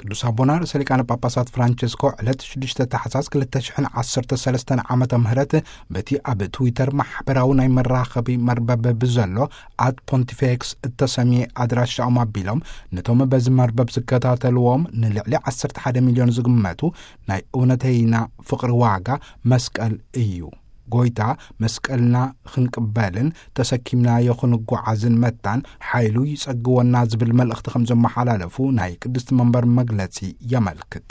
ቅዱስ ኣቦና ርእሰ ሊቃነ ጳጳሳት ፍራንቸስኮ ዕለት ሽዱሽተ ታሕሳስ ክልተ ሽሕን ዓሰርተ ሰለስተን ዓመተ ምህረት በቲ ኣብ ትዊተር ማሕበራዊ ናይ መራኸቢ መርበብ ብዘሎ ኣት ፖንቲፌክስ እተሰምየ ኣድራሻኦም ኣቢሎም፣ ነቶም በዚ መርበብ ዝከታተልዎም ንልዕሊ ዓሰርተ ሓደ ሚልዮን ዝግመቱ ናይ እውነተይና ፍቕሪ ዋጋ መስቀል እዩ። ጎይታ መስቀልና ክንቅበልን ተሰኪምናዮ ክንጓዓዝን መታን ሓይሉ ይጸግወና ዝብል መልእኽቲ ከም ዘመሓላለፉ ናይ ቅድስቲ መንበር መግለጺ የመልክት።